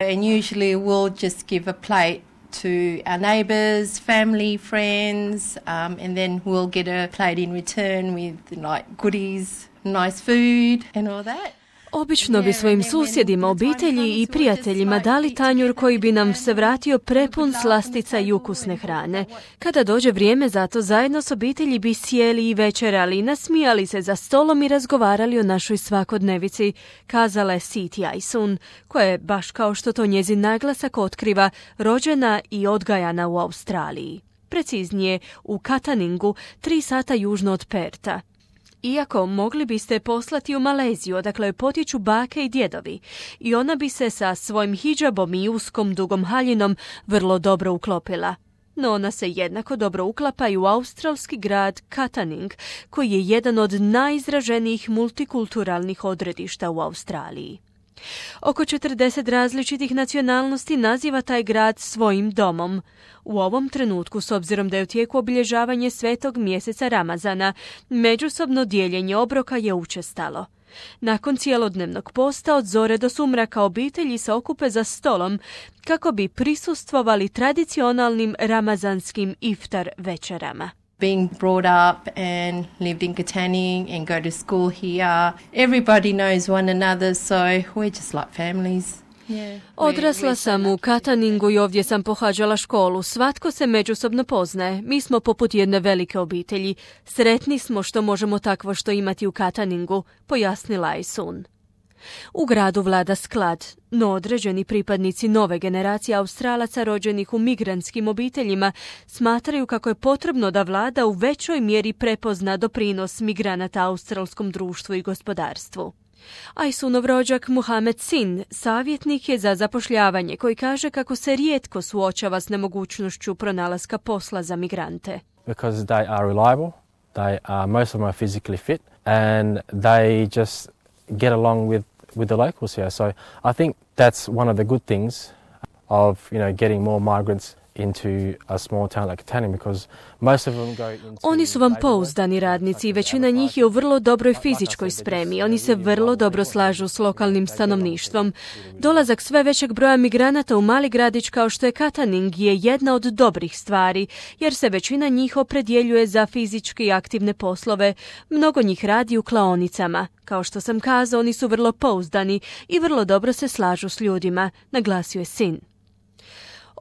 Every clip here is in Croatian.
And usually we'll just give a plate to our neighbours, family, friends, and then we'll get a plate in return with like goodies, nice food and all that. Obično bi svojim susjedima, obitelji i prijateljima dali tanjur koji bi nam se vratio prepun slastica i ukusne hrane. Kada dođe vrijeme za to, zajedno s obitelji bi sjeli i večerali, nasmijali se za stolom i razgovarali o našoj svakodnevici, kazala je Siti Aisun, koja je, baš kao što to njezin naglasak otkriva, rođena i odgajana u Australiji. Preciznije, u Kataningu, 3 sata južno od Perta. Iako mogli biste poslati u Maleziju, odakle joj potječu bake i djedovi, i ona bi se sa svojim hidžabom i uskom dugom haljinom vrlo dobro uklopila. No ona se jednako dobro uklapa i u australski grad Kataning, koji je jedan od najizraženijih multikulturalnih odredišta u Australiji. Oko 40 različitih nacionalnosti naziva taj grad svojim domom. U ovom trenutku, s obzirom da je u tijeku obilježavanje svetog mjeseca Ramazana, međusobno dijeljenje obroka je učestalo. Nakon cijelodnevnog posta od zore do sumraka obitelji se okupe za stolom kako bi prisustvovali tradicionalnim ramazanskim iftar večerama. Being brought up and lived in Katanning and go to school here, everybody knows one another, so we're just like families. Odrasla sam u Kataningu i ovdje sam pohađala školu. Svatko se međusobno poznaje. Mi smo poput jedne velike obitelji. Sretni smo što možemo takvo što imati u Kataningu, pojasnila Aisun. U gradu vlada sklad, no određeni pripadnici nove generacije Australaca rođenih u migrantskim obiteljima smatraju kako je potrebno da vlada u većoj mjeri prepozna doprinos migranata australskom društvu i gospodarstvu. Aisunov rođak Muhammad Sin savjetnik je za zapošljavanje koji kaže kako se rijetko suočava s nemogućnošću pronalaska posla za migrante. Because they are reliable, most of them are physically fit and they just get along with the locals here. So I think that's one of the good things of, getting more migrants into a small town like Katanning because most of them go into... Oni su vam pouzdani radnici i većina njih je u vrlo dobroj fizičkoj spremi. Oni se vrlo dobro slažu s lokalnim stanovništvom. Dolazak sve većeg broja migranata u mali gradić kao što je Kataning je jedna od dobrih stvari, jer se većina njih opredjeljuje za fizički aktivne poslove. Mnogo njih radi u klaonicama. Kao što sam kazao, oni su vrlo pouzdani i vrlo dobro se slažu s ljudima, naglasio je Sin.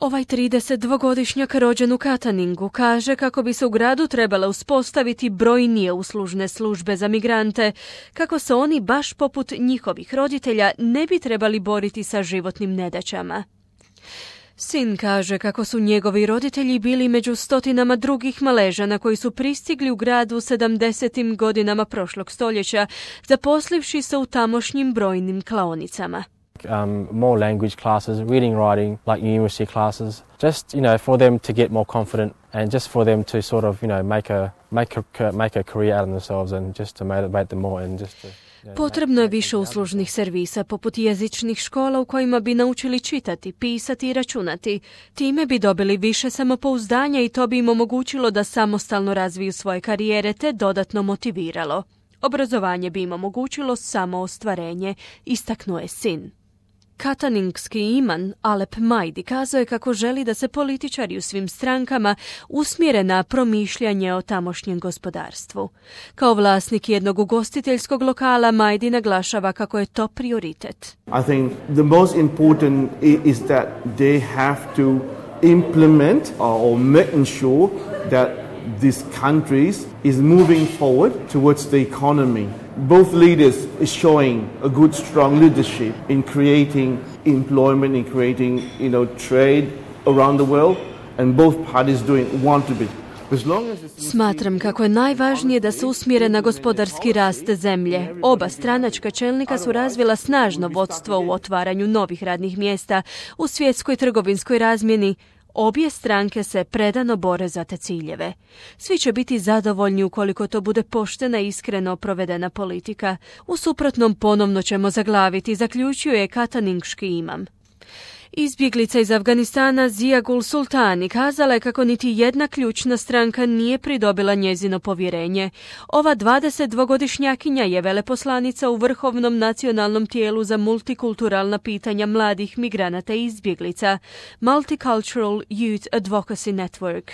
Ovaj 32-godišnjak rođen u Kataningu kaže kako bi se u gradu trebale uspostaviti brojnije uslužne službe za migrante, kako se oni baš poput njihovih roditelja ne bi trebali boriti sa životnim nedaćama. Sin kaže kako su njegovi roditelji bili među stotinama drugih Maležana koji su pristigli u gradu u 70. godinama prošlog stoljeća, zaposlivši se u tamošnjim brojnim klaonicama. More language classes, reading, writing, like university classes, just, for them to get more confident and just for them to sort of, make a career out of themselves and just to motivate them more and just to... Potrebno je više uslužnih servisa, poput jezičnih škola u kojima bi naučili čitati, pisati i računati. Time bi dobili više samopouzdanja i to bi im omogućilo da samostalno razviju svoje karijere te dodatno motiviralo. Obrazovanje bi im omogućilo samo ostvarenje, istaknuo je Sin. Kataningski iman Alep Majdi kazao je kako želi da se političari u svim strankama usmjere na promišljanje o tamošnjem gospodarstvu. Kao vlasnik jednog ugostiteljskog lokala, Majdi naglašava kako je to prioritet. I think the most important is that they have to implement or make sure that these countries is moving forward towards the economy. Both leaders is showing a good, strong leadership in creating employment, in creating, trade around the world, and both parties want to be. Smatram kako je najvažnije da se usmjere na gospodarski rast zemlje. Oba stranačka čelnika su razvila snažno vodstvo u otvaranju novih radnih mjesta u svjetskoj trgovinskoj razmjeni. Obje stranke se predano bore za te ciljeve. Svi će biti zadovoljni ukoliko to bude poštena i iskreno provedena politika. U suprotnom ponovno ćemo zaglaviti, zaključio je kataningški imam. Izbjeglica iz Afganistana Zia Gul Sultani kazala je kako niti jedna ključna stranka nije pridobila njezino povjerenje. Ova 22-godišnjakinja je veleposlanica u Vrhovnom nacionalnom tijelu za multikulturalna pitanja mladih migranata i izbjeglica, Multicultural Youth Advocacy Network.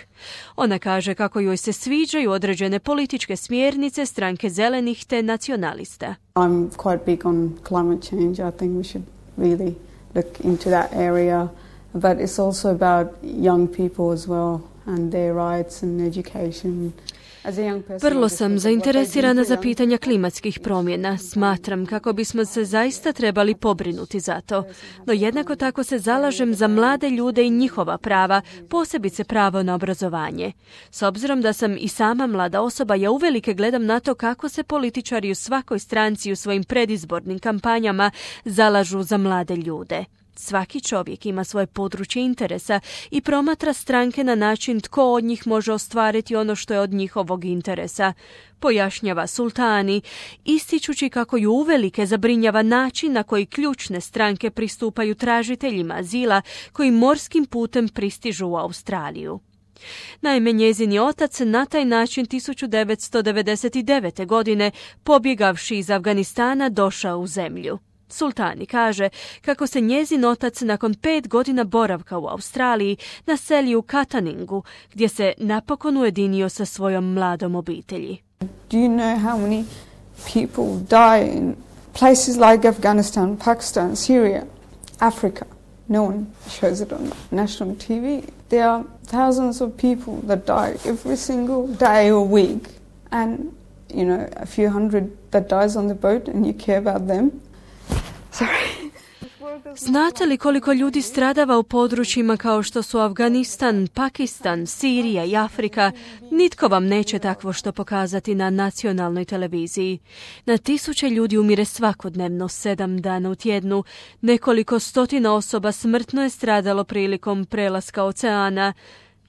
Ona kaže kako joj se sviđaju određene političke smjernice stranke zelenih te nacionalista. I'm quite big on climate change. I think we should really look into that area, but it's also about young people as well and their rights and education. Vrlo sam zainteresirana za pitanja klimatskih promjena. Smatram kako bismo se zaista trebali pobrinuti za to. No jednako tako se zalažem za mlade ljude i njihova prava, posebice pravo na obrazovanje. S obzirom da sam i sama mlada osoba, ja uvelike gledam na to kako se političari u svakoj stranci u svojim predizbornim kampanjama zalažu za mlade ljude. Svaki čovjek ima svoje područje interesa i promatra stranke na način tko od njih može ostvariti ono što je od njihovog interesa, pojašnjava Sultani, ističući kako ju uvelike zabrinjava način na koji ključne stranke pristupaju tražiteljima azila koji morskim putem pristižu u Australiju. Naime, njezin otac na taj način 1999. godine, pobjegavši iz Afganistana, došao u zemlju. Sultani kaže kako se njezin otac nakon 5 godina boravka u Australiji naselio u Kataningu, gdje se napokon ujedinio sa svojom mladom obitelji. Do you know how many people die in places like Afghanistan, Pakistan, Syria, Africa? No one shows it on national TV. There are thousands of people that die every single day or week. And, you know, a few hundred that dies on the boat and you care about them. Znate li koliko ljudi stradava u područjima kao što su Afganistan, Pakistan, Sirija i Afrika? Nitko vam neće takvo što pokazati na nacionalnoj televiziji. Na tisuće ljudi umire svakodnevno, 7 dana u tjednu. Nekoliko stotina osoba smrtno je stradalo prilikom prelaska oceana.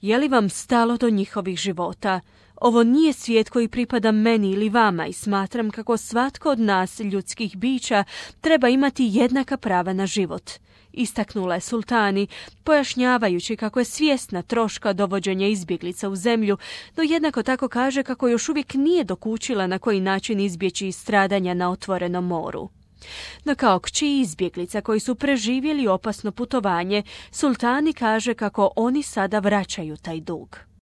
Je li vam stalo do njihovih života? Ovo nije svijet koji pripada meni ili vama i smatram kako svatko od nas, ljudskih bića, treba imati jednaka prava na život. Istaknula je Sultani, pojašnjavajući kako je svjesna troška dovođenja izbjeglica u zemlju, no jednako tako kaže kako još uvijek nije dokučila na koji način izbjeći stradanja na otvorenom moru. No kao kći izbjeglica koji su preživjeli opasno putovanje, Sultani kaže kako oni sada vraćaju taj dug.